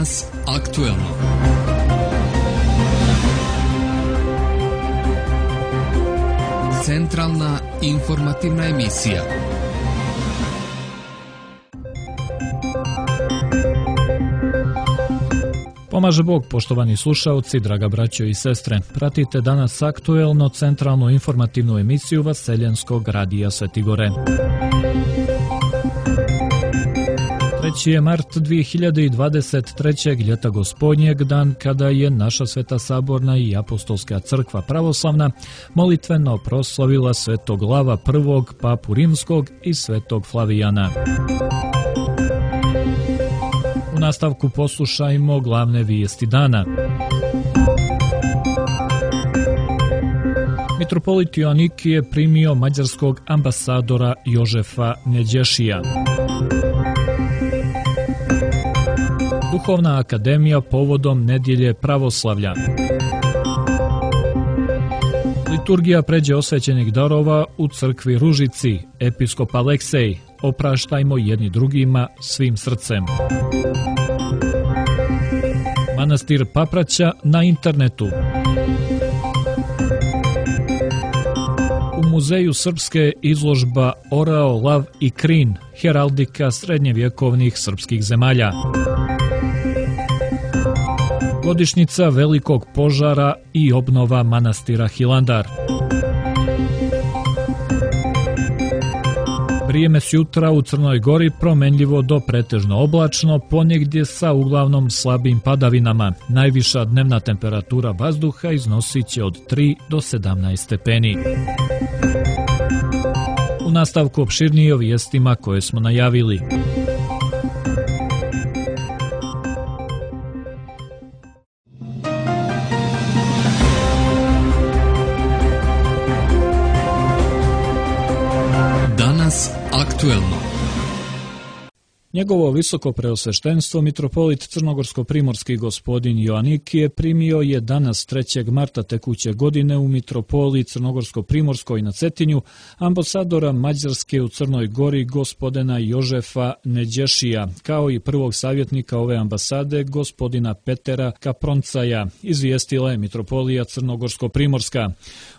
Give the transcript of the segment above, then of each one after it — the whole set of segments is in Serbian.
Danas aktuelno. Centralna informativna emisija. Pomaže Bog, poštovani slušaoci, draga braćo i sestre. Pratite Danas aktuelno centralnu informativnu emisiju Vaseljenskog radija Sveti Gore. 3. je mart 2023. ljeta gospodnjeg, dan kada je naša Sveta Saborna i Apostolska crkva pravoslavna molitveno proslavila svetog Lava I, papu rimskog i svetog Flavijana. U nastavku poslušajmo glavne vijesti dana. Mitropolit Joanikije je primio mađarskog ambasadora Jožefa Neđešija. Duhovna akademija povodom nedjelje pravoslavlja. Liturgija pređe osvećenih darova u crkvi Ružici, episkop Aleksej. Opraštajmo jedni drugima svim srcem. Manastir Papraća na internetu. U Muzeju Srpske izložba Orao, Lav i Krin, heraldika srednjevjekovnih srpskih zemalja. Godišnjica velikog požara i obnova manastira Hilandar. Vrijeme s jutra u Crnoj Gori promenljivo do pretežno oblačno, ponegdje sa uglavnom slabim padavinama. Najviša dnevna temperatura vazduha iznosit će od 3 do 17 stepeni. U nastavku opširnije o vijestima koje smo najavili. Danas aktuelno. Njegovo visoko preosveštenstvo mitropolit crnogorsko-primorski gospodin Joanikije primio je danas 3. marta tekuće godine u mitropoliji crnogorsko-primorskoj na Cetinju ambasadora Mađarske u Crnoj Gori gospodina Jožefa Neđešija, kao i prvog savjetnika ove ambasade gospodina Petera Kaproncaja, izvijestila je mitropolija crnogorsko-primorska.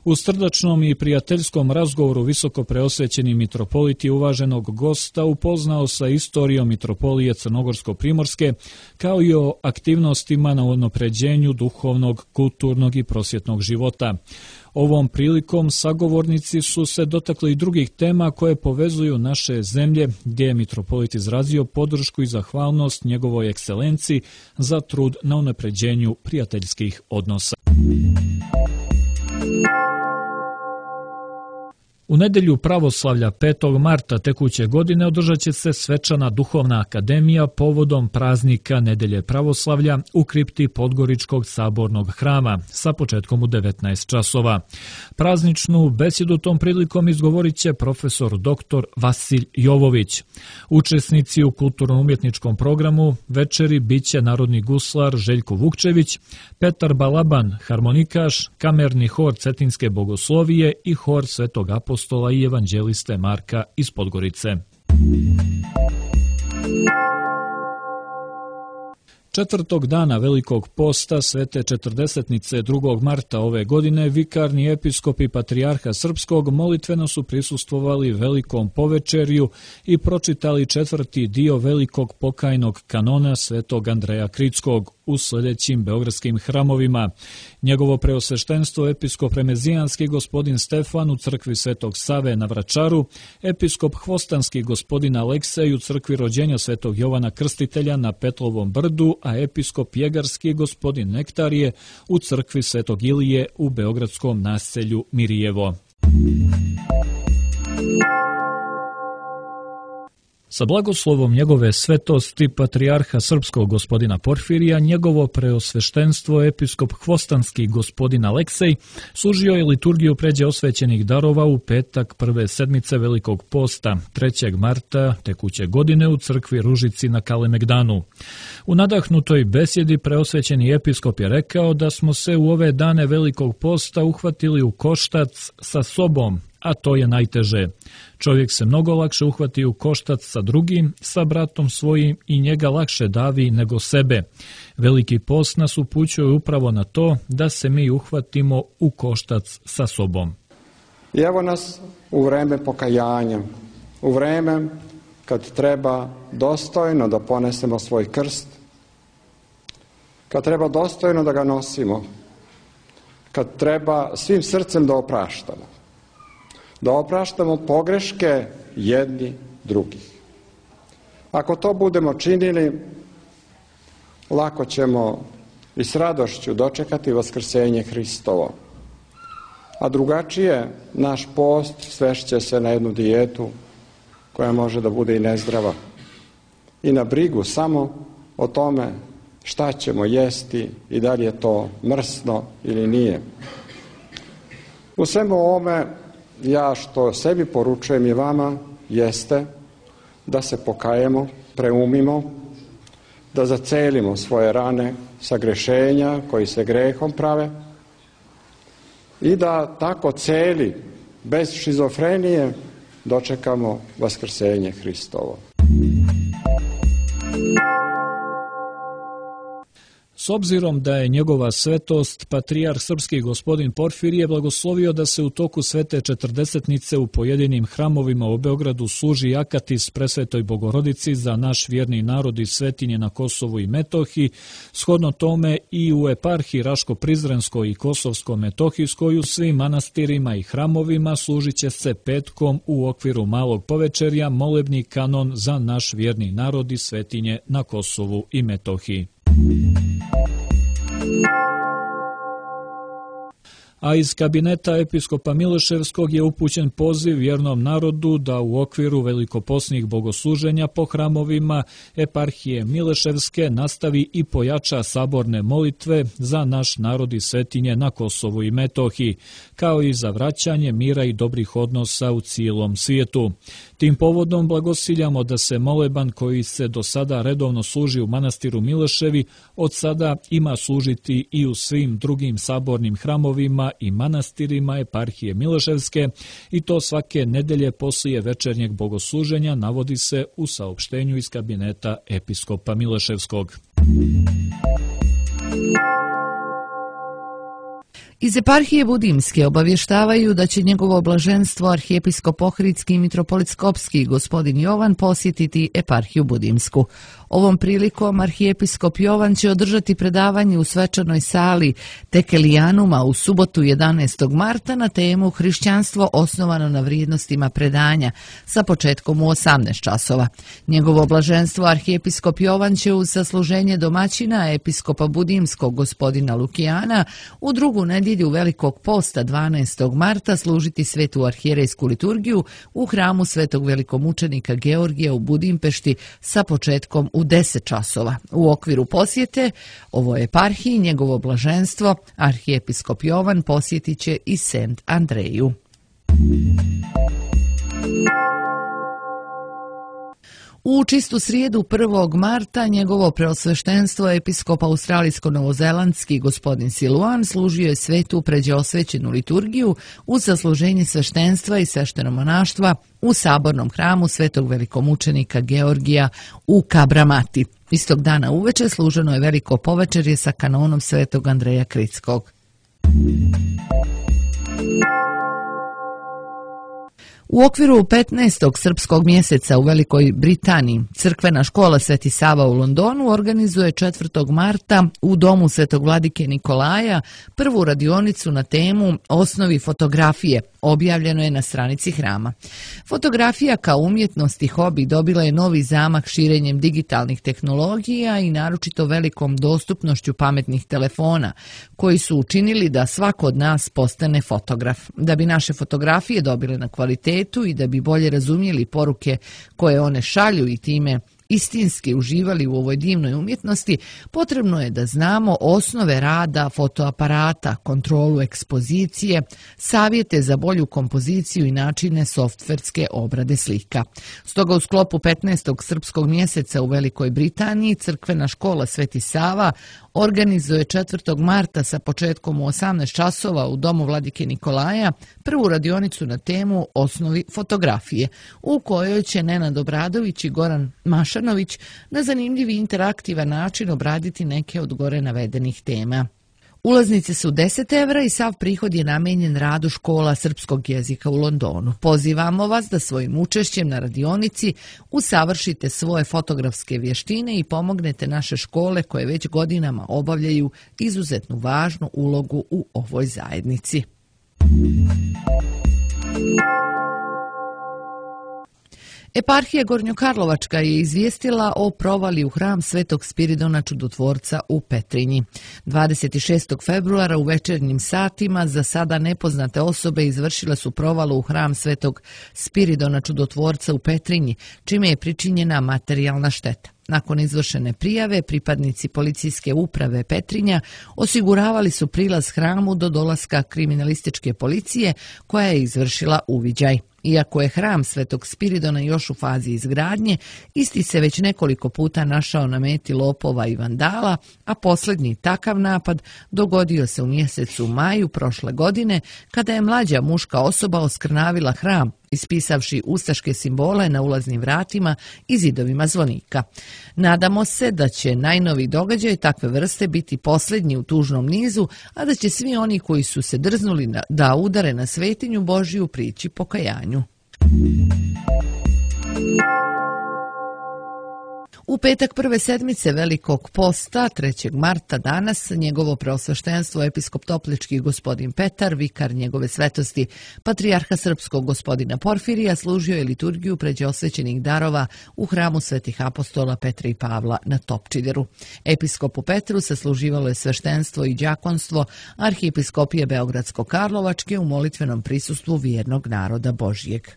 U srdačnom i prijateljskom razgovoru visoko preosvećeni mitropolit je uvaženog gosta upoznao sa istorijom mitropolije crnogorsko-primorske, kao i o aktivnostima na unapređenju duhovnog, kulturnog i prosvjetnog života. Ovom prilikom sagovornici su se dotakli i drugih tema koje povezuju naše zemlje, gdje je mitropolit izrazio podršku i zahvalnost njegovoj ekscelenciji za trud na unapređenju prijateljskih odnosa. U nedjelju pravoslavlja 5. marta tekuće godine održat će se svečana duhovna akademija povodom praznika Nedelje pravoslavlja u kripti Podgoričkog sabornog hrama sa početkom u 19 časova. Prazničnu besjedu tom prilikom izgovorit će profesor dr. Vasilj Jovović. Učesnici u kulturno-umjetničkom programu večeri bit će narodni guslar Željko Vukčević, Petar Balaban, harmonikaš, kamerni hor Cetinske bogoslovije i hor Svetog Apostola i evanđeliste Marka iz Podgorice. 4. dana Velikog posta Svete Četrdesetnice 2. marta ove godine vikarni episkop i patrijarha srpskog molitveno su prisustvovali velikom povečerju i pročitali 4. dio velikog pokajnog kanona Svetog Andreja Kritskog u sljedećim beogradskim hramovima. Njegovo preosveštenstvo episkop remezijanski gospodin Stefan u crkvi Svetog Save na Vračaru, episkop hvostanski gospodin Aleksej u crkvi rođenja Svetog Jovana Krstitelja na Petlovom brdu, a episkop jegarski gospodin Nektarije u crkvi Svetog Ilije u beogradskom naselju Mirijevo. Sa blagoslovom njegove svetosti patrijarha srpskog gospodina Porfirija, njegovo preosveštenstvo episkop hvostanski gospodin Aleksej služio je liturgiju pređe osvećenih darova u petak prve sedmice Velikog posta 3. marta tekuće godine u crkvi Ružici na Kalemegdanu. U nadahnutoj besjedi preosvećeni episkop je rekao da smo se u ove dane Velikog posta uhvatili u koštac sa sobom, a to je najteže. Čovjek se mnogo lakše uhvati u koštac sa drugim, sa bratom svojim i njega lakše davi nego sebe. Veliki post nas upućuje upravo na to da se mi uhvatimo u koštac sa sobom. I evo nas u vreme pokajanja, u vreme kad treba dostojno da ponesemo svoj krst, kad treba dostojno da ga nosimo, kad treba svim srcem da opraštamo pogreške jedni drugih. Ako to budemo činili, lako ćemo i s radošću dočekati vaskrsenje Hristovo. A drugačije, naš post svešće se na jednu dijetu koja može da bude i nezdrava i na brigu samo o tome šta ćemo jesti i da li je to mrsno ili nije. U svemu ovome, ja što sebi poručujem i vama, jeste da se pokajemo, preumimo, da zacelimo svoje rane sagrešenja koji se grehom prave i da tako celi, bez šizofrenije, dočekamo vaskrsenje Hristovo. S obzirom da je njegova svetost, patrijarh srpski gospodin Porfirije blagoslovio da se u toku svete četrdesetnice u pojedinim hramovima u Beogradu služi akatis Presvetoj Bogorodici za naš vjerni narod i svetinje na Kosovu i Metohiji, shodno tome i u eparhiji Raško-Prizrenskoj i Kosovsko-Metohijskoj u svim manastirima i hramovima služit će se petkom u okviru malog povečerja molebni kanon za naš vjerni narod i svetinje na Kosovu i Metohiji. A iz kabineta episkopa Mileševskog je upućen poziv vjernom narodu da u okviru velikoposnih bogosluženja po hramovima eparhije Mileševske nastavi i pojača saborne molitve za naš narod i svetinje na Kosovu i Metohiji, kao i za vraćanje mira i dobrih odnosa u cijelom svijetu. Tim povodom blagosiljamo da se moleban koji se do sada redovno služi u manastiru Mileševi od sada ima služiti i u svim drugim sabornim hramovima i manastirima eparhije Mileševske i to svake nedelje poslije večernjeg bogosluženja, navodi se u saopštenju iz kabineta episkopa Mileševskog. Iz eparhije Budimske obavještavaju da će njegovo blaženstvo arhijepiskop Ohridski i mitropolit Skopski gospodin Jovan posjetiti eparhiju Budimsku. Ovom prilikom arhijepiskop Jovan će održati predavanje u svečanoj sali Tekelijanuma u subotu 11. marta na temu Hrišćanstvo osnovano na vrijednostima predanja sa početkom u 18 časova. Njegovo blaženstvo arhijepiskop Jovan će uz sasluženje domaćina episkopa Budimskog gospodina Lukijana u drugu nedjelju Velikog posta 12. marta služiti svetu arhijerejsku liturgiju u hramu svetog velikomučenika Georgija u Budimpešti sa početkom u 10 časova. U okviru posjete ovoj eparhiji njegovo blaženstvo arhijepiskop Jovan posjetit će i Sent Andreju. U čistu srijedu 1. marta njegovo preosveštenstvo episkop australijsko-novozelandski gospodin Siluan služio je svetu pređeosvećenu liturgiju uz zasluženje sveštenstva i sveštenomonaštva u sabornom hramu svetog velikomučenika Georgija u Kabramati. Istog dana uveče služeno je veliko povečerje sa kanonom svetog Andreja Kritskog. U okviru 15. srpskog mjeseca u Velikoj Britaniji crkvena škola Sveti Sava u Londonu organizuje 4. marta u domu Svetog vladike Nikolaja prvu radionicu na temu Osnovi fotografije. Objavljeno je na stranici hrama. Fotografija kao umjetnost i hobi dobila je novi zamah širenjem digitalnih tehnologija i naročito velikom dostupnošću pametnih telefona, koji su učinili da svako od nas postane fotograf. Da bi naše fotografije dobile na kvalitetu i da bi bolje razumjeli poruke koje one šalju i time istinski uživali u ovoj divnoj umjetnosti, potrebno je da znamo osnove rada fotoaparata, kontrolu ekspozicije, savjete za bolju kompoziciju i načine softverske obrade slika. Stoga u sklopu 15. srpskog mjeseca u Velikoj Britaniji crkvena škola Sveti Sava organizuje 4. marta sa početkom u 18 časova u domu Vladike Nikolaja prvu radionicu na temu Osnovi fotografije, u kojoj će Nenad Obradović i Goran Mašanović na zanimljiv i interaktivan način obraditi neke od gore navedenih tema. Ulaznice su 10 € i sav prihod je namijenjen radu škola srpskog jezika u Londonu. Pozivamo vas da svojim učešćem na radionici usavršite svoje fotografske vještine i pomognete naše škole koje već godinama obavljaju izuzetnu važnu ulogu u ovoj zajednici. Eparhija Gornjokarlovačka je izvijestila o provali u hram Svetog Spiridona Čudotvorca u Petrinji. 26. februara u večernjim satima za sada nepoznate osobe izvršile su provalu u hram Svetog Spiridona Čudotvorca u Petrinji, čime je pričinjena materijalna šteta. Nakon izvršene prijave, pripadnici policijske uprave Petrinja osiguravali su prilaz hramu do dolaska kriminalističke policije koja je izvršila uviđaj. Iako je hram Svetog Spiridona još u fazi izgradnje, isti se već nekoliko puta našao na meti lopova i vandala, a posljednji takav napad dogodio se u mjesecu maju prošle godine, kada je mlađa muška osoba oskrnavila hram, ispisavši ustaške simbole na ulaznim vratima i zidovima zvonika. Nadamo se da će najnoviji događaj takve vrste biti posljednji u tužnom nizu, a da će svi oni koji su se drznuli da udare na svetinju Božiju prići pokajanju. U petak prve sedmice Velikog posta, 3. marta danas, njegovo preosveštenstvo episkop Toplički gospodin Petar, vikar njegove svetosti patrijarha srpskog gospodina Porfirija, služio je liturgiju pređe osvećenih darova u hramu svetih apostola Petra i Pavla na Topčideru. Episkopu Petru sasluživalo je sveštenstvo i đakonstvo Arhijepiskopije Beogradsko-Karlovačke u molitvenom prisustvu vjernog naroda Božijeg.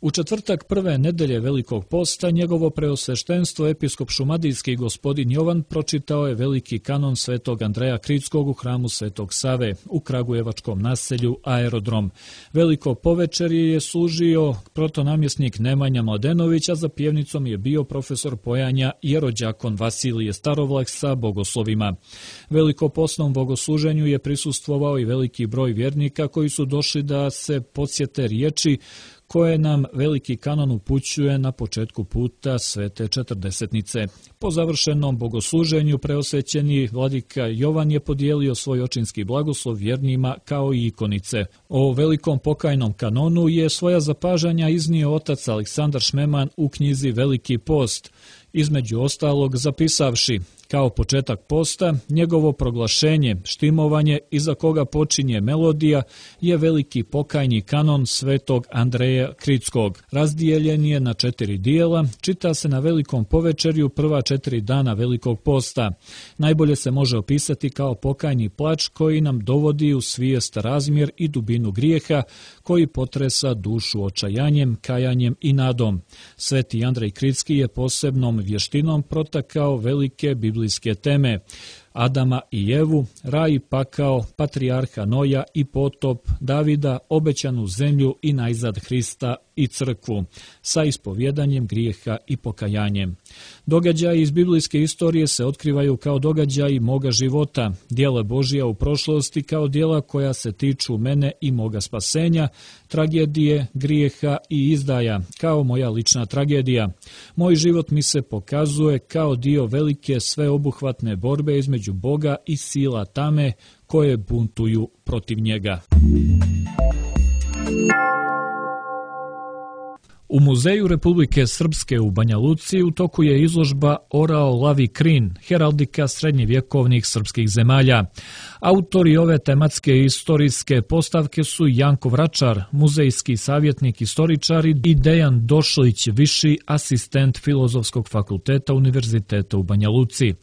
U četvrtak prve nedelje Velikog posta njegovo preosveštenstvo episkop šumadijski gospodin Jovan pročitao je veliki kanon svetog Andreja Kritskog u hramu Svetog Save u kragujevačkom naselju Aerodrom. Veliko povečerje je služio protonamjesnik Nemanja Mladenović, a za pjevnicom je bio profesor pojanja jerođakon Vasilije Starovlak sa bogoslovima. Velikopostnom bogosluženju je prisustvovao i veliki broj vjernika koji su došli da se podsjete riječi koje nam veliki kanon upućuje na početku puta Svete Četrdesetnice. Po završenom bogosluženju preosvećeni vladika Jovan je podijelio svoj očinski blagoslov vjernima kao i ikonice. O velikom pokajnom kanonu je svoja zapažanja iznio otac Aleksandar Šmeman u knjizi Veliki post, između ostalog zapisavši kao početak posta, njegovo proglašenje, štimovanje iza koga počinje melodija je veliki pokajni kanon svetog Andreja Kritskog. Razdijeljen je na 4 dijela, čita se na velikom povečerju prva 4 dana Velikog posta. Najbolje se može opisati kao pokajni plač koji nam dovodi u svijest razmjer i dubinu grijeha, koji potresa dušu očajanjem, kajanjem i nadom. Sveti Andrej Kritski je posebnom vještinom protakao velike biblijske teme: Adama i Evu, raj i pakao, patrijarha Noja i potop, Davida, obećanu zemlju i najzad Hrista i crkvu, sa ispovjedanjem grijeha i pokajanjem. Događaji iz biblijske istorije se otkrivaju kao događaji moga života, djela Božija u prošlosti kao djela koja se tiču mene i moga spasenja, tragedije, grijeha i izdaja, kao moja lična tragedija. Moj život mi se pokazuje kao dio velike sveobuhvatne borbe između Boga i sila tame koje buntuju protiv njega. U Muzeju Republike Srpske u Banja Luci u toku je izložba Orao Lavi Krin, heraldika srednjevjekovnih srpskih zemalja. Autori ove tematske i istorijske postavke su Janko Vračar, muzejski savjetnik istoričar i Dejan Došlić, viši asistent Filozofskog fakulteta Univerziteta u Banja Luci.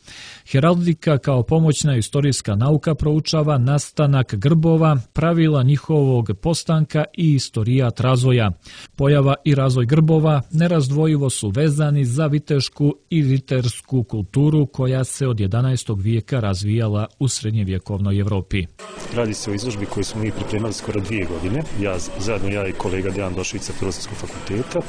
Heraldika kao pomoćna istorijska nauka proučava nastanak grbova, pravila njihovog postanka i istorijat razvoja. Pojava i razvoj grbova nerazdvojivo su vezani za vitešku i ritersku kulturu koja se od 11. vijeka razvijala u srednjevjekovnoj Evropi. Radi se o izložbi koju smo mi pripremali skoro 2 godine, ja i kolega Dejan Došlić sa Filozofskog fakulteta,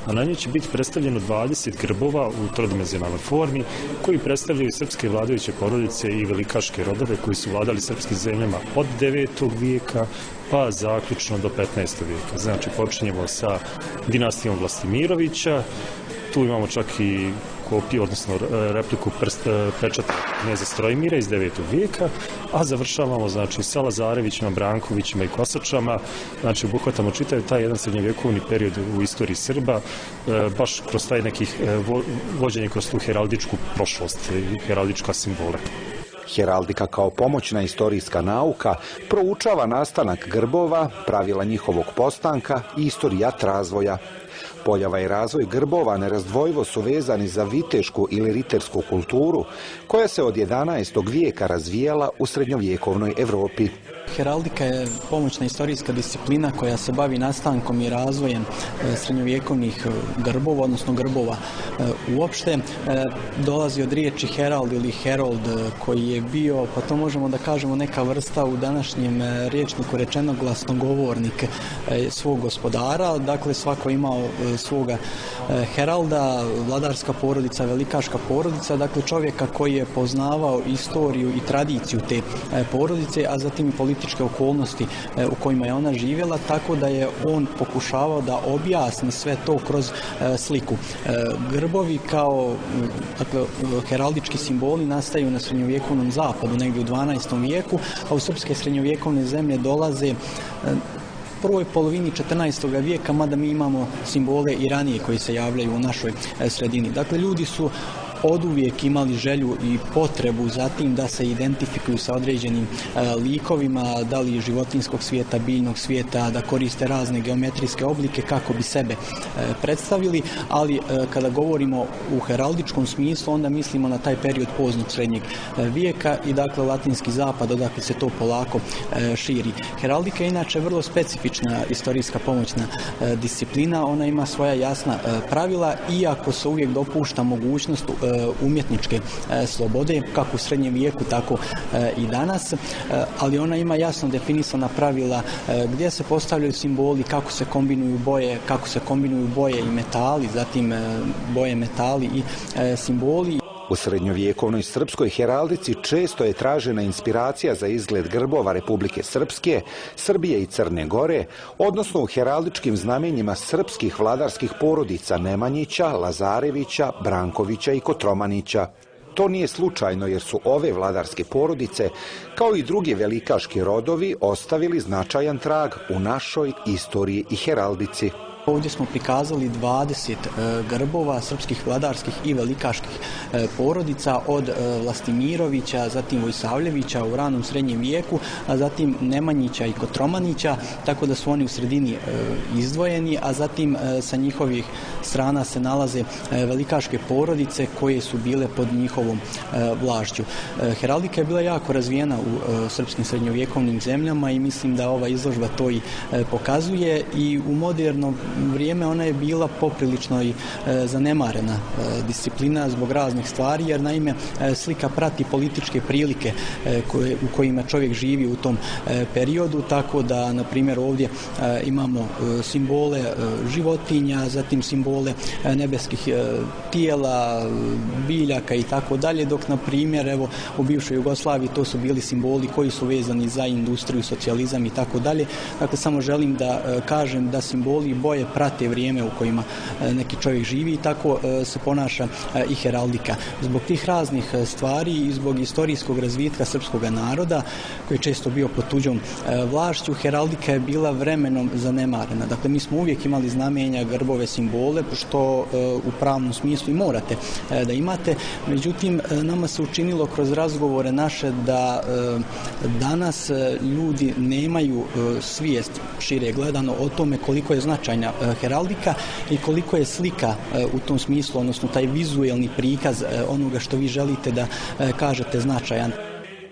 a na njoj će biti predstavljeno 20 grbova u trodimenzionalnoj formi koji predstavljaju srpske vladajuće porodice i velikaške rodove koji su vladali srpskim zemljama od 9. vijeka pa zaključno do 15. vijeka. Znači počinjemo sa dinastijom Vlastimirovića, tu imamo čak i kopiju, odnosno repliku pečata kneza Strojmira iz 9. vijeka, a završavamo znači sa Lazarevićima, Brankovićima i Kosačama, znači obuhvatamo čitav taj jedan srednjevjekovni period u istoriji Srba, baš kroz taj nekih vođenje kroz tu heraldičku prošlost i heraldička simbole. Heraldika kao pomoćna istorijska nauka proučava nastanak grbova, pravila njihovog postanka i istorijat razvoja. Pojava i razvoj grbova nerazdvojivo su vezani za vitešku ili ritersku kulturu koja se od 11. vijeka razvijala u srednjovjekovnoj Evropi. Heraldika je pomoćna istorijska disciplina koja se bavi nastankom i razvojem srednjovjekovnih grbova, odnosno grbova uopšte. Dolazi od riječi herald ili herold koji je bio, pa to možemo da kažemo neka vrsta u današnjem rječniku rečeno glasnogovornik svog gospodara. Dakle, svako imao svoga heralda, vladarska porodica, velikaška porodica, dakle čovjeka koji je poznavao istoriju i tradiciju te porodice, a zatim i političke okolnosti u kojima je ona živjela, tako da je on pokušavao da objasni sve to kroz sliku. Grbovi kao heraldički simboli nastaju na srednjovjekovnom zapadu, negdje u 12. vijeku, a u srpske srednjovjekovne zemlje dolaze prvoj polovini 14. vijeka, mada mi imamo simbole i ranije koji se javljaju u našoj sredini. Dakle, ljudi su oduvijek imali želju i potrebu za tim da se identifikuju sa određenim likovima, da li životinjskog svijeta, biljnog svijeta, da koriste razne geometrijske oblike kako bi sebe predstavili, ali kada govorimo u heraldičkom smislu, onda mislimo na taj period poznog srednjeg vijeka i dakle latinski zapad, odakle se to polako širi. Heraldika je inače vrlo specifična istorijska pomoćna disciplina, ona ima svoja jasna pravila, iako se uvijek dopušta mogućnost umjetničke slobode, kako u srednjem vijeku, tako i danas, ali ona ima jasno definisana pravila gdje se postavljaju simboli, kako se kombinuju boje i metali, zatim boje, metali i simboli. U srednjovjekovnoj srpskoj heraldici često je tražena inspiracija za izgled grbova Republike Srpske, Srbije i Crne Gore, odnosno u heraldičkim znamenjima srpskih vladarskih porodica Nemanjića, Lazarevića, Brankovića i Kotromanića. To nije slučajno jer su ove vladarske porodice, kao i drugi velikaški rodovi, ostavili značajan trag u našoj istoriji i heraldici. Ovdje smo prikazali 20 grbova srpskih vladarskih i velikaških porodica od Vlastimirovića, zatim Vojsavljevića u ranom srednjem vijeku, a zatim Nemanjića i Kotromanića, tako da su oni u sredini izdvojeni, a zatim sa njihovih strana se nalaze velikaške porodice koje su bile pod njihovom vlašću. Heraldika je bila jako razvijena u srpskim srednjovjekovnim zemljama i mislim da ova izložba to i pokazuje i u modernom vrijeme ona je bila poprilično i zanemarena disciplina zbog raznih stvari, jer naime slika prati političke prilike u kojima čovjek živi u tom periodu, tako da na primjer ovdje imamo simbole životinja, zatim simbole nebeskih tijela, biljaka i tako dalje, dok na primjer evo u bivšoj Jugoslaviji to su bili simboli koji su vezani za industriju, socijalizam i tako dalje. Dakle, samo želim da kažem da simboli i boje boje prate vrijeme u kojima neki čovjek živi i tako se ponaša i heraldika. Zbog tih raznih stvari i zbog istorijskog razvitka srpskog naroda, koji je često bio pod tuđom vlašću, heraldika je bila vremenom zanemarena. Dakle, mi smo uvijek imali znamenja, grbove, simbole, što u pravnom smislu i morate da imate. Međutim, nama se učinilo kroz razgovore naše da danas ljudi nemaju svijest, šire gledano, o tome koliko je značajna heraldika i koliko je slika u tom smislu, odnosno taj vizuelni prikaz onoga što vi želite da kažete značajan.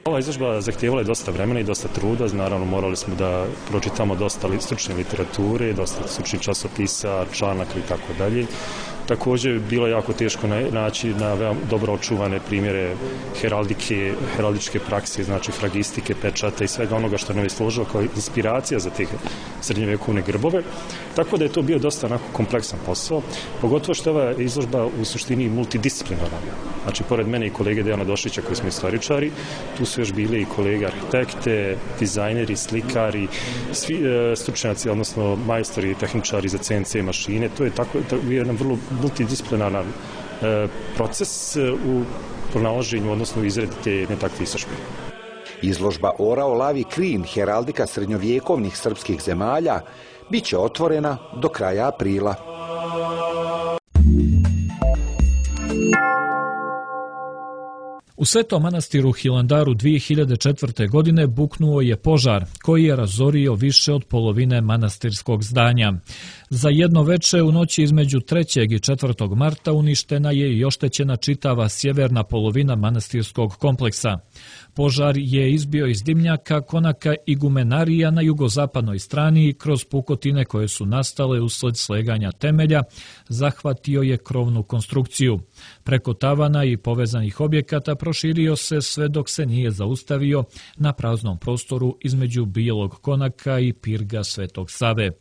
Ova izložba zahtijevala je dosta vremena i dosta truda, naravno morali smo da pročitamo dosta stručne literature, dosta stručnih časopisa, članaka i tako dalje. Također bilo je jako teško naći na veoma dobro očuvane primjere heraldike, heraldičke prakse, znači fragistike, pečata i svega onoga što nam je služilo kao inspiracija za te srednjovjekovne grbove. Tako da je to bio dosta onako kompleksan posao, pogotovo što je ova izložba u suštini multidisciplinarna. Znači, pored mene i kolege Dejana Došića koji smo istoričari, tu su još bili i kolege arhitekte, dizajneri, slikari, svi stručnjaci, odnosno majstori i tehničari za CNC mašine. To je jedan vrlo multidisciplinaran proces u pronalaženju, odnosno u izradi te jedne takve izložbe. Izložba Orao Lavi Krin, heraldika srednjovjekovnih srpskih zemalja, bit će otvorena do kraja aprila. U Svetom manastiru Hilandaru 2004. godine buknuo je požar koji je razorio više od polovine manastirskog zdanja. Za jedno veče u noći između 3. i 4. marta uništena je i oštećena čitava sjeverna polovina manastirskog kompleksa. Požar je izbio iz dimnjaka konaka igumenarija na jugozapadnoj strani kroz pukotine koje su nastale usled sleganja temelja, zahvatio je krovnu konstrukciju. Preko tavana i povezanih objekata proširio se sve dok se nije zaustavio na praznom prostoru između Bijelog konaka i Pirga Svetog Save.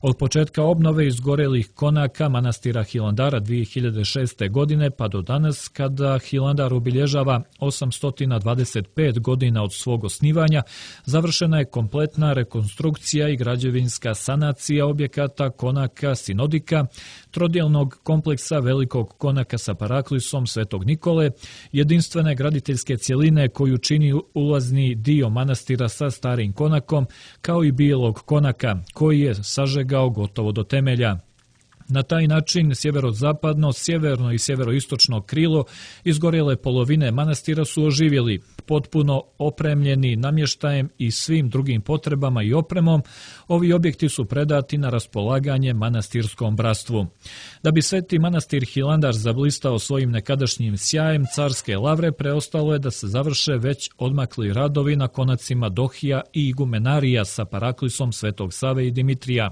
Od početka obnove izgorelih konaka manastira Hilandara 2006. godine pa do danas, kada Hilandar obilježava 825 godina od svog osnivanja, završena je kompletna rekonstrukcija i građevinska sanacija objekata konaka Sinodika, trodjelnog kompleksa velikog konaka sa paraklisom Svetog Nikole, jedinstvene graditeljske cjeline koju čini ulazni dio manastira sa starim konakom, kao i bijelog konaka koji je sažegao gotovo do temelja. Na taj način sjeverozapadno, sjeverno i sjeveroistočno krilo izgorjele polovine manastira su oživjeli, potpuno opremljeni namještajem i svim drugim potrebama i opremom. Ovi objekti su predati na raspolaganje manastirskom bratstvu. Da bi Sveti manastir Hilandar zablistao svojim nekadašnjim sjajem carske lavre, preostalo je da se završe već odmakli radovi na konacima Dohija i igumenarija sa paraklisom Svetog Save i Dimitrija.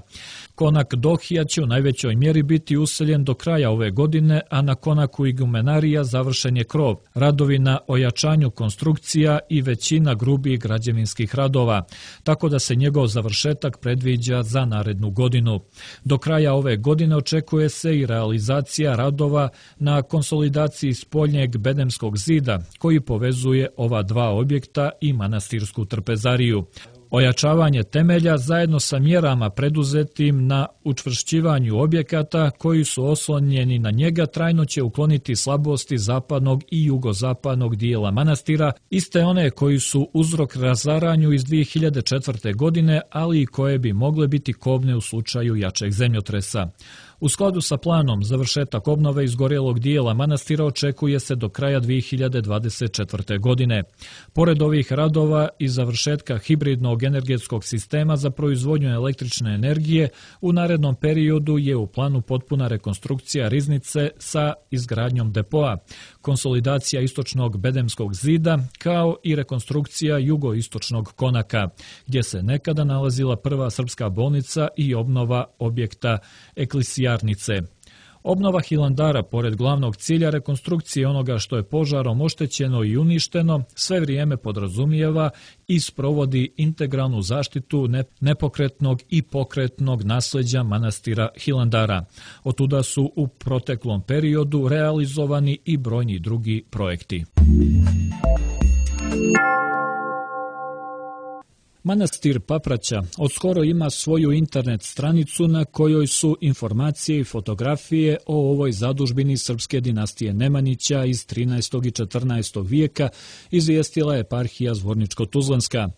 Konak Dohija će u najvećoj mjeri biti useljen do kraja ove godine, a na konaku igumenarija završen je krov, radovi na ojačanju konstrukcija i većina grubih građevinskih radova, tako da se njegov završetak predviđa za narednu godinu. Do kraja ove godine očekuje se i realizacija radova na konsolidaciji spoljnjeg bedemskog zida, koji povezuje ova dva objekta i manastirsku trpezariju. Ojačavanje temelja zajedno sa mjerama preduzetim na učvršćivanju objekata koji su oslonjeni na njega trajno će ukloniti slabosti zapadnog i jugozapadnog dijela manastira, iste one koji su uzrok razaranju iz 2004. godine, ali i koje bi mogle biti kobne u slučaju jačeg zemljotresa. U skladu sa planom, završetak obnove izgorjelog dijela manastira očekuje se do kraja 2024. godine. Pored ovih radova i završetka hibridnog energetskog sistema za proizvodnju električne energije, u narednom periodu je u planu potpuna rekonstrukcija riznice sa izgradnjom depoa, konsolidacija istočnog bedemskog zida, kao i rekonstrukcija jugoistočnog konaka, gdje se nekada nalazila prva srpska bolnica i obnova objekta eklisija. Obnova Hilandara, pored glavnog cilja rekonstrukcije onoga što je požarom oštećeno i uništeno, sve vrijeme podrazumijeva i sprovodi integralnu zaštitu nepokretnog i pokretnog nasljeđa manastira Hilandara. Otuda su u proteklom periodu realizovani i brojni drugi projekti. Manastir Papraća odskoro ima svoju internet stranicu na kojoj su informacije i fotografije o ovoj zadužbini srpske dinastije Nemanjića iz 13. i 14. vijeka, izvijestila eparhija Zvorničko-Tuzlanska.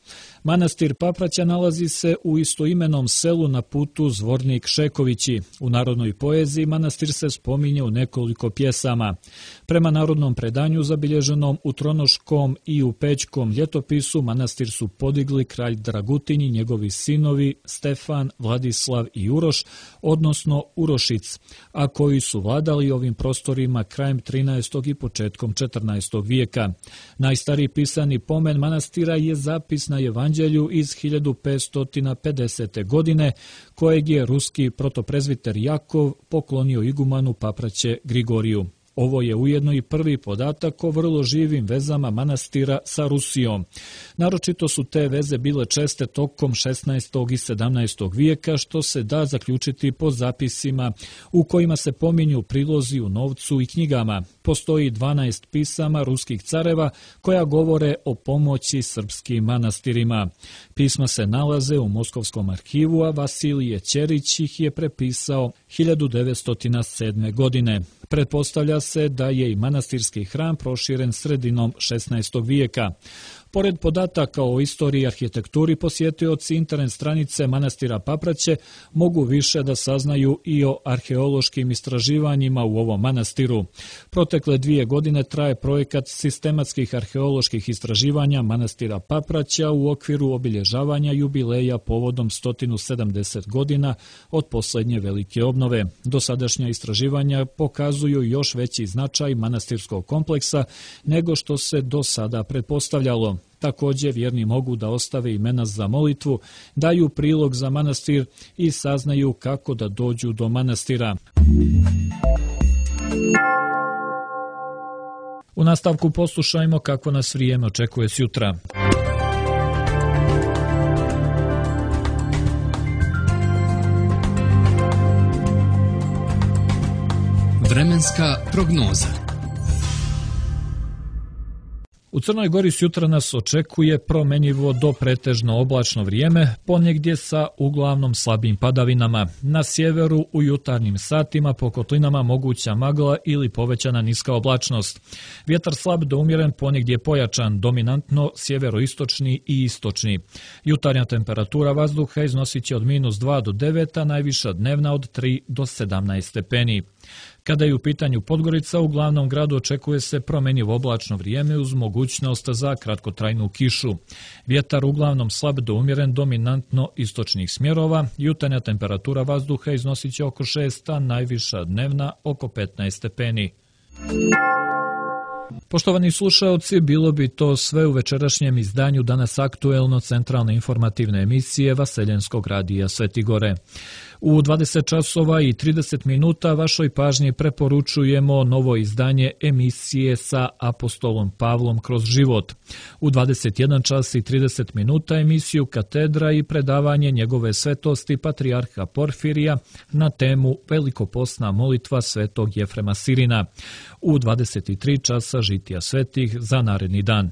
Manastir Papraća nalazi se u istoimenom selu na putu Zvornik-Šekovići. U narodnoj poeziji manastir se spominje u nekoliko pjesama. Prema narodnom predanju zabilježenom u Tronoškom i u Pećkom ljetopisu manastir su podigli kralj Dragutin i njegovi sinovi Stefan, Vladislav i Uroš, odnosno Urošic, a koji su vladali ovim prostorima krajem 13. i početkom 14. vijeka. Najstariji pisani pomen manastira je zapis na Evanđelju iz 1550. godine, kojeg je ruski protoprezviter Jakov poklonio igumanu Papraće Grigoriju. Ovo je ujedno i prvi podatak o vrlo živim vezama manastira sa Rusijom. Naročito su te veze bile česte tokom 16. i 17. vijeka, što se da zaključiti po zapisima u kojima se pominju prilozi u novcu i knjigama. Postoji 12 pisama ruskih careva koja govore o pomoći srpskim manastirima. Pisma se nalaze u Moskovskom arhivu, a Vasilije Ćerić ih je prepisao 1907. godine. Pretpostavlja se da je i manastirski hram proširen sredinom 16. vijeka. Pored podataka o istoriji i arhitekturi, posjetioci internet stranice manastira Papraće mogu više da saznaju i o arheološkim istraživanjima u ovom manastiru. Protekle 2 godine traje projekat sistematskih arheoloških istraživanja manastira Papraća u okviru obilježavanja jubileja povodom 170 godina od posljednje velike obnove. Dosadašnja istraživanja pokazuju još veći značaj manastirskog kompleksa nego što se do sada pretpostavljalo. Također vjerni mogu da ostave imena za molitvu, daju prilog za manastir i saznaju kako da dođu do manastira. U nastavku poslušajmo kako nas vrijeme očekuje sjutra. Vremenska prognoza. U Crnoj Gori sutra nas očekuje promjenjivo do pretežno oblačno vrijeme, ponegdje sa uglavnom slabim padavinama. Na sjeveru u jutarnjim satima po kotlinama moguća magla ili povećana niska oblačnost. Vjetar slab do umjeren, ponegdje pojačan, dominantno sjeveroistočni i istočni. Jutarnja temperatura vazduha iznosit će od -2 do 9, a najviša dnevna od 3 do 17 stepeni. Kada je u pitanju Podgorica, u glavnom gradu očekuje se promjenjivo oblačno vrijeme uz mogućnost za kratkotrajnu kišu. Vjetar uglavnom slab do umjeren, dominantno istočnih smjerova. Jutarnja temperatura vazduha iznosit će oko 6, a najviša dnevna oko 15 stepeni. Poštovani slušaoci, bilo bi to sve u večerašnjem izdanju Danas aktuelno centralne informativne emisije Vaseljenskog radija Svetigore. U 20 časova i 30 minuta vašoj pažnji preporučujemo novo izdanje emisije sa apostolom Pavlom kroz život. U 21 čas i 30 minuta emisiju Katedra i predavanje njegove svetosti patrijarha Porfirija na temu Velikopostna molitva svetog Jefrema Sirina. U 23 časa žitija svetih za naredni dan.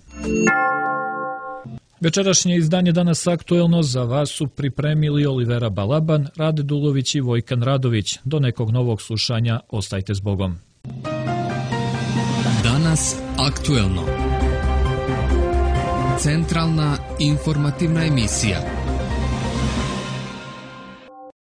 Večerašnje izdanje Danas aktuelno za vas su pripremili Olivera Balaban, Rade Dulović i Vojkan Radović. Do nekog novog slušanja, ostajte s Bogom. Danas aktuelno. Centralna informativna emisija.